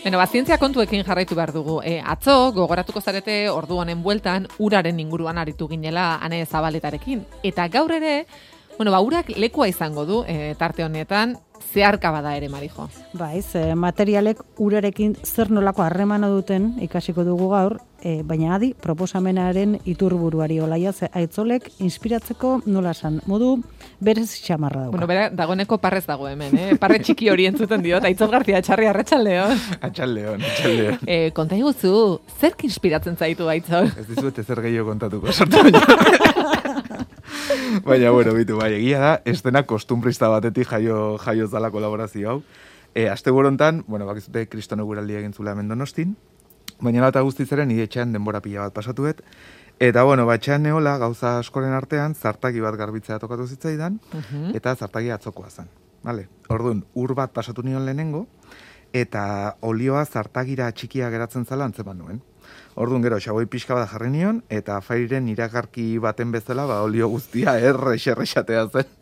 Beno, zientzia kontuekin jarraitu behar dugu. Atzo, gogoratuko zarete ordu honen bueltan, uraren inguruan aritu ginela Ane Zabaletarekin. Eta gaur ere, urak lekua izango du tarte honetan, zeharka bada ere, Marijo. Baiz, materialek urarekin zer nolako harremana duten ikasiko dugu gaur, baina adi proposamenaren iturburuari Olaia Aitzolek inspiratzeko nola esan, modu berez xamarra dauka. Bera, dagoeneko parrez dago hemen, parre txiki hori entzuten diot, Aitzol García Etxarri arratsaldeon. Atxaldeon. Konta iguzu, zerk inspiratzen zaitu Aitzol? Ez dizuet ezer gehiago kontatuko sortu baina. Baina, bitu, egia da, estena kostumbrista batetik jaio zala kolaborazio hau. Aste borontan, bakizute Kristono guraldi egin zula hemen Donostin, baina bat guztizaren nire etxean denbora pila bat pasatuet, eta etxean neola gauza askoren artean zartagi bat garbitzea tokatu zitzaidan, eta zartagi atzokoa zen. Vale? Orduan, ur bat pasatu nion lehenengo, eta olioa zartagira txikia geratzen zala antzeman nuen. Orduan gero, xaboi pixka bat jarri nion, eta fairen iragarki baten bezala, olio guztia errexatea zen.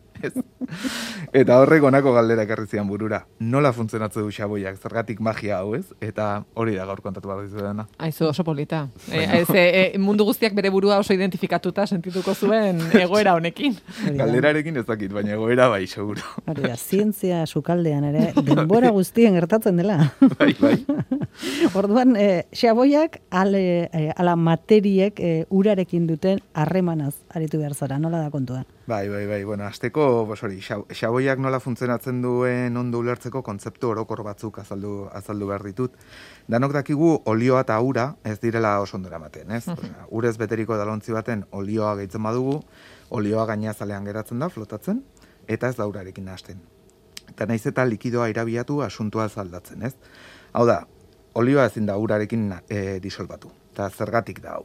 Eta horrek honako galdera ekarri zian burura. Nola funtzionatzen du xaboiak, zergatik magia hau, ez? Eta hori da gaur kontatu behar dizu dena. Aizu, oso polita. Mundu guztiak bere burua oso identifikatuta sentituko zuen egoera honekin. Galderarekin ez dakit, baina egoera bai, seguro. Hori da, zientzia sukaldean ere, denbora guztien gertatzen dela. Bai. Orduan, xaboiak ala materiek urarekin duten harremanaz aritu behar zara, nola da kontua? Bai. Azteko, xaboiak nola funtzionatzen duen ondo ulertzeko kontzeptu orokor batzuk azaldu behar ditut. Danok dakigu olioa eta ura ez direla oso ondora ematen, ez? Urez beteriko dalontzi baten olioa gehitzen badugu, olioa gainazalean geratzen da, flotatzen, eta ez da urarekin nahasten. Eta naiz eta likidoa irabiatu asuntua zaldatzen, ez? Hau da, olioa ezin da urarekin disolbatu, eta zergatik da hau.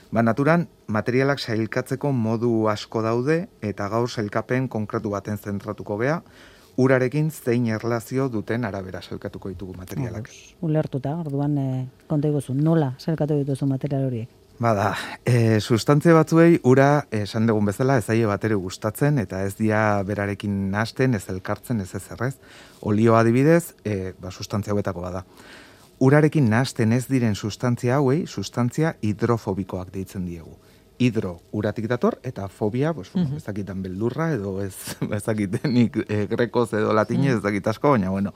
Naturan, materialak sailkatzeko modu asko daude eta gaur sailkapen konkretu baten zentratuko gea, urarekin zein erlazio duten arabera sailkatuko ditugu materialak. Ulertuta, orduan konta iguzu, nola sailkatu dituzu material horiek? Sustantzia batzuei ura esan dugun bezala ez zaie batere gustatzen eta ez dia berarekin nahasten, ez elkartzen, ez ezerrez. Olioa adibidez, sustantzia hauetako bada. Urarekin nahasten ez diren sustantzia hauei, sustantzia hidrofobikoak deitzen diegu. Hidro uratik dator, eta fobia, ez dakitan beldurra, edo ez dakitenik grekoz edo latinez, ez dakit asko, baina,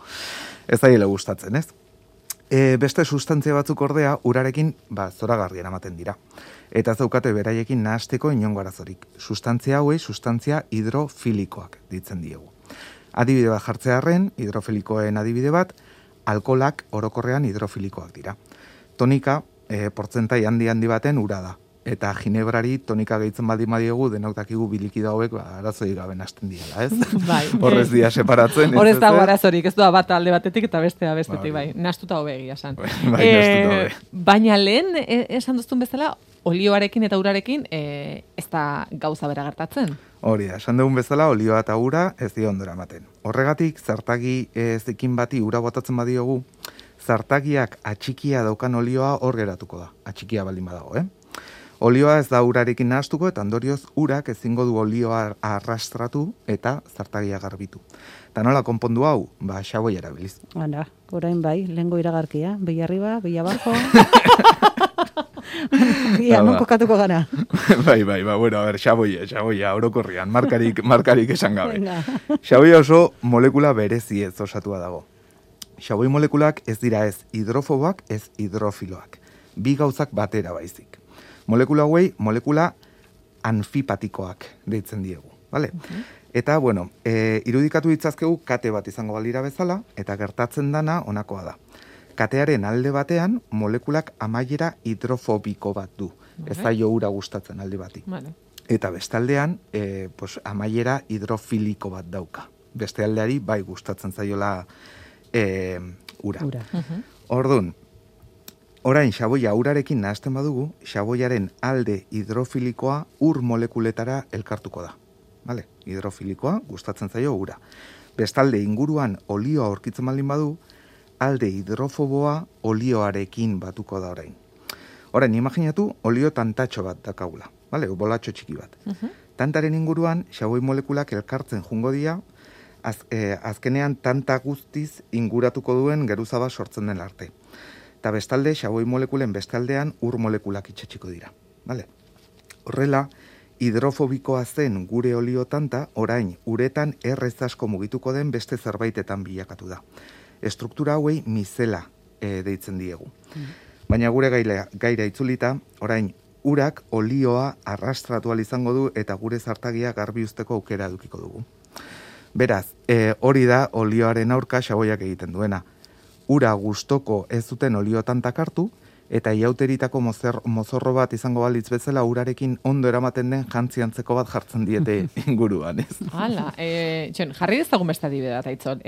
ez daile gustatzen, ez? Beste sustantzia batzuk ordea, urarekin, zoragarrien ematen dira. Eta ez daukate beraiekin nahasteko inongo arazorik. Sustantzia hauei, sustantzia hidrofilikoak deitzen diegu. Adibide bat jartzearren, hidrofilikoen adibide bat, alkolak orokorrean hidrofilikoak dira. Tonika, portzentai handi baten ura da. Eta ginebrari tonika gehitzen badiegu denok dakigu bilikido hauek arazoi gabe nahasten diela, ez? Bai. Horrez dia separatzen. Horrez dago arazorik, ez doa bat alde batetik eta bestea bestetik, bai. Nahastuta hobe egia esan. Bai, nahastuta hobe. Baina lehen, esan duztun bezala, olioarekin eta urarekin ez da gauza bera gertatzen. Hori da, esan dugun bezala, olioa eta ura ez dira ondora ematen. Horregatik, zartagi zekin bati ura botatzen badiogu, zartagiak atxikia daukan olioa hor geratuko da. Atxikia baldin badago, Olioa ez da urarekin nahastuko eta ondorioz urak ezingo du olioa arrastratu eta zartagia garbitu. Eta nola konpondu hau? Xaboi erabiliz. Hala, orain bai, lehengo iragarkia, behi arriba, behi abajo. Ia, non kokatuko gara. Bai, xaboia, orokorrian, markarik esan gabe. Xaboia oso molekula berezi ez osatua dago. Xaboi molekulak ez dira ez hidrofoboak, ez hidrofiloak. Bi gauzak batera baizik. Molekula hauei, molekula anfipatikoak deitzen diegu, bale? Eta, irudikatu ditzazkegu kate bat izango balira bezala, eta gertatzen dana honakoa da. Katearen alde batean, molekulak amaiera hidrofobiko bat du. Ez zaio ura gustatzen alde bati. Eta bestaldean, amaiera hidrofiliko bat dauka. Beste aldeari bai gustatzen zaiola ura. Orduan, orain xaboia urarekin nahasten badugu, xaboiaren alde hidrofilikoa ur molekuletara elkartuko da. Vale? Hidrofilikoa gustatzen zaio ura. Bestalde inguruan olioa aurkitzen baldin badu, alde hidrofoboa olioarekin batuko da orain. Orain, imaginatu olio tantatxo bat dakagula. Vale? Bolatxo txiki bat. Tantaren inguruan xaboi molekulak elkartzen jungo dira, azkenean tanta guztiz inguratuko duen geruza bat sortzen den arte. Eta bestalde, xaboi molekulen bestaldean ur molekulak itxetxiko dira. Vale? Horrela, hidrofobikoa zen gure oliotanta, orain uretan errez asko mugituko den beste zerbaitetan bilakatu da. Estruktura hauei mizela deitzen diegu. Baina gure gaira itzulita, orain urak olioa arrastratu izango du eta gure zartagia garbi usteko aukera edukiko dugu. Beraz, hori da olioaren aurka xaboiak egiten duena. Ura gustoko ez duten oliotantak hartu, eta iauteritako mozorro bat izango balitz bezala urarekin ondo eramaten den jantziantzeko bat jartzen diete inguruan, ez? Hala, jarri dezagun beste adibidea bat, Aitzol.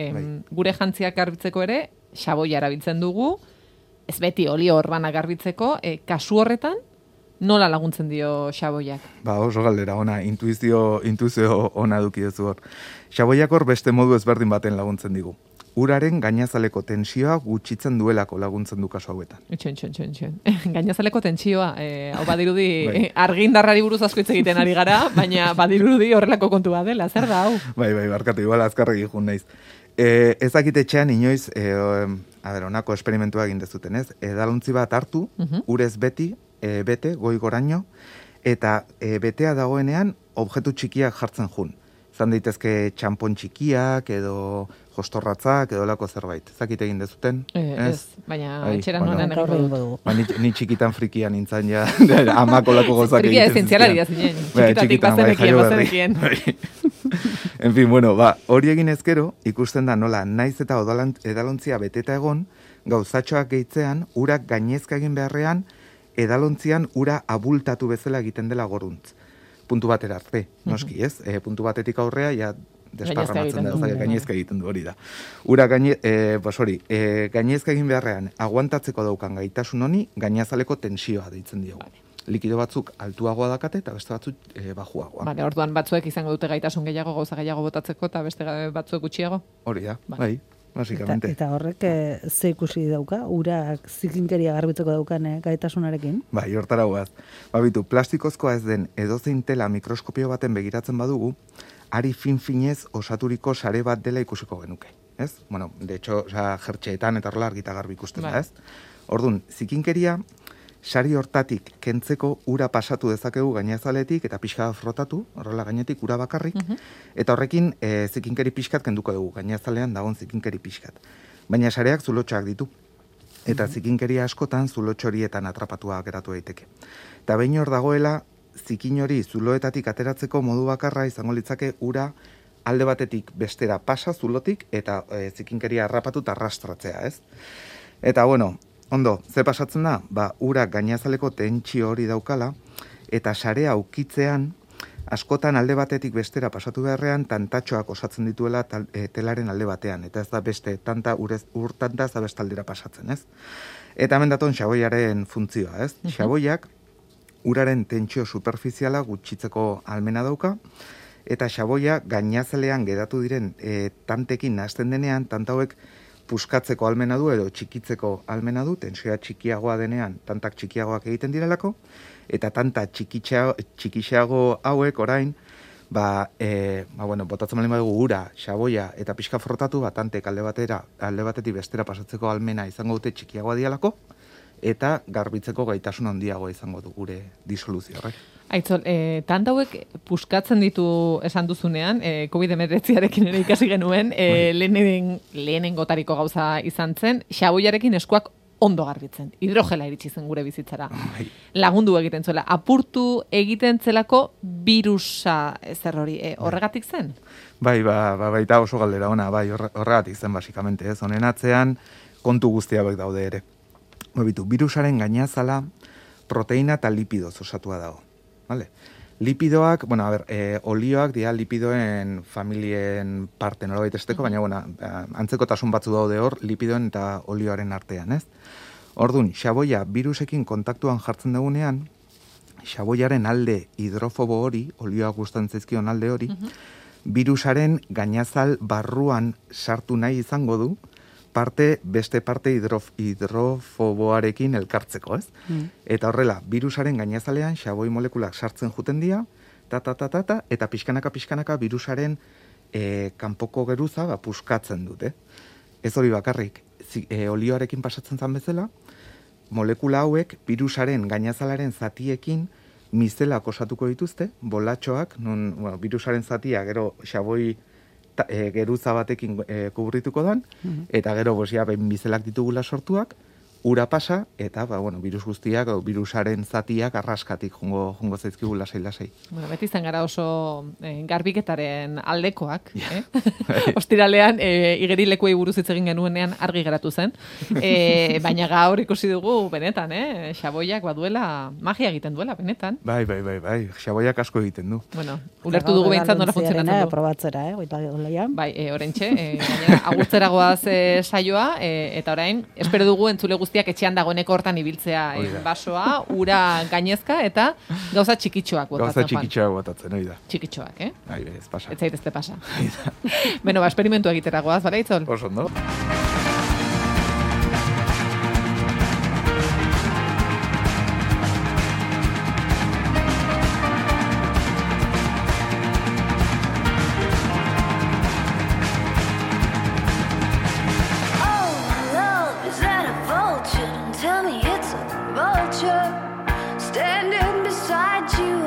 Gure jantziak garbitzeko ere, xaboia erabiltzen dugu, ez beti olio orbana garbitzeko, kasu horretan, nola laguntzen dio xaboiak? Oso galdera ona, intuizio ona duki duzu hor. Xaboiak hor beste modu ezberdin baten laguntzen digu. Uraren gainazaleko tensioa gutxitzen duelako laguntzen du kasu hauetan. Itxon. Gainazaleko tensioa, hau badirudi argindarrari buruz asko hitz egiten ari gara, baina badirudi horrelako kontu bat dela, zer da hau? Bai, barkatu, igual azkarregi jun naiz. Ezakit etxean inoiz, honako esperimentua egin dezuten, ez? Edalontzi bat hartu, urez bete, goi goraino, eta betea dagoenean objektu txikiak jartzen jun. Zan daitezke txampon txikiak, edo jostorratzak, edo lako zerbait. Ezakit egin dezuten? Ez, baina etxeran honen egingo dugu. Ni txikitan frikian nintzen ja, amako lako gozak egiten. Frikia ezientzialari da zinen, txikitatik bazenekien. En fin, bueno, hori egin ezkero, ikusten da nola, naiz eta edalontzia beteta egon, gauzatxoak gehitzean, urak gainezka egin beharrean, edalontzian ura abultatu bezala egiten dela goruntz. Puntu batera arte, noski, ez? Puntu batetik aurrea, ja, desparramatzen da, gainezka egiten du hori da. Ura gainezka egin beharrean, aguantatzeko daukan gaitasun honi, gainazaleko tensioa deitzen diogu. Likido batzuk altuagoa dakate, eta beste batzuk bajuagoa. Vale, orduan batzuek izango dute gaitasun gehiago, gauza gehiago botatzeko, eta beste batzuek gutxiago? Hori da, bai. Basikamente. Eta horrek ze ikusi dauka, urak zikinkeria garbitzeko daukan gaitasunarekin? Bai, hortara guaz. Bitu, plastikozkoa ez den edozein tela mikroskopio baten begiratzen badugu, ari fin-finez osaturiko sare bat dela ikusiko genuke. Ez? Bueno, de hecho, jertxeetan eta horrela argita garbi ikusten da, ez? Orduan, zikinkeria, sari hortatik kentzeko ura pasatu dezakegu gainazaletik eta pixka frotatu, horrela gainetik ura bakarrik, eta horrekin zikinkeri pixkat kenduko dugu, gainazalean dagoen zikinkeri pixkat. Baina sareak zulotxoak ditu, eta zikinkeria askotan zulotxo horietan atrapatua geratu daiteke. Eta behin hor dagoela, zikin hori zuloetatik ateratzeko modu bakarra izango litzake ura alde batetik bestera pasa zulotik, eta zikinkeria harrapatu eta arrastratzea, ez? Eta bueno, ondo, ze pasatzen da? Urak gainazaleko tentsio hori daukala, eta sarea aukitzean, askotan alde batetik bestera pasatu beharrean, tantatxoak osatzen dituela telaren alde batean, eta ez da beste urtanta ez da bestaldera pasatzen, ez? Eta hemen daton xaboiaren funtzioa, ez? Xaboiak uraren tentsio superfiziala gutxitzeko almena dauka, eta xaboia gainazalean geratu diren tantekin nahazten denean, tantauek puskatzeko almena du edo txikitzeko almena du, tensioa txikiagoa denean, tantak txikiagoak egiten direlako, eta tanta txikixeago hauek orain, botatzen malin badugu ura, xaboia eta pixka frotatu, tantek alde batetik bestera pasatzeko almena izango dute txikiagoa dialako, eta garbitzeko gaitasun handiagoa izango du gure disoluzio horrek. Aitzol, tanta hauek puskatzen ditu esan duzunean, COVID-19arekin ere ikasi genuen, lehenengotariko gauza izan zen, xaboiarekin eskuak ondo garbitzen. Hidrogela iritsi zen gure bizitzara. Lagundu egiten zuela. Apurtu egiten zelako birusa zer hori. Horregatik zen? Baita oso galdera ona, horregatik zen basikamente, ez? Honen atzean kontu guztiak daude ere. Birusaren gainazala proteina eta lipidoz osatua dago. Vale. Lipidoak, olioak dira lipidoen familien parte nolabait esteko, baina antzekotasun batzu daude hor lipidoen eta olioaren artean, ez? Orduan, xaboia birusekin kontaktuan jartzen dugunean, xaboiaren alde hidrofobo hori, olioak gustatzen zaizkion alde hori, birusaren gainazal barruan sartu nahi izango du, beste parte hidrofoboarekin elkartzeko, ez? Eta horrela, birusaren gainazalean xaboi molekulak sartzen juten dira, eta pixkanaka birusaren kanpoko geruza puskatzen dute. Ez hori bakarrik, olioarekin pasatzen zan bezala, molekula hauek virusaren gainazalaren zatiekin mizelak osatuko dituzte, bolatxoak, non virusaren zatia gero xaboi geruza batekin kubrituko dan, eta gero mizelak ditugula sortuak, ura pasa, eta virus guztiak, virusaren zatiak arraskatik jungo zaizkigu lasai-lasai. Bueno, beti izan gara oso garbiketaren aldekoak. Ostiralean, igerilekuei buruz hitz egin genuenean argi geratu zen. Baina gaur ikusi dugu, benetan, xaboiak baduela, magia egiten duela, benetan. Bai, xaboiak asko egiten du. Bueno, ulertu dugu behintzat nola funtzionatzen du. Probatzera, Bai, orentxe, agurtzera goaz saioa, eta orain, espero dugu entzule guztiak etxean dagoeneko hortan ibiltzea basoa, ura gainezka eta gauza txikitxoak botatzen. Gauza txikitxoak botatzen, hori da. Txikitxoak, Ez pasa. Ez zaitezte pasa. Beno, esperimentua egitera goaz, bara Itzol? Oso ondo. Tell me it's a vulture standing beside you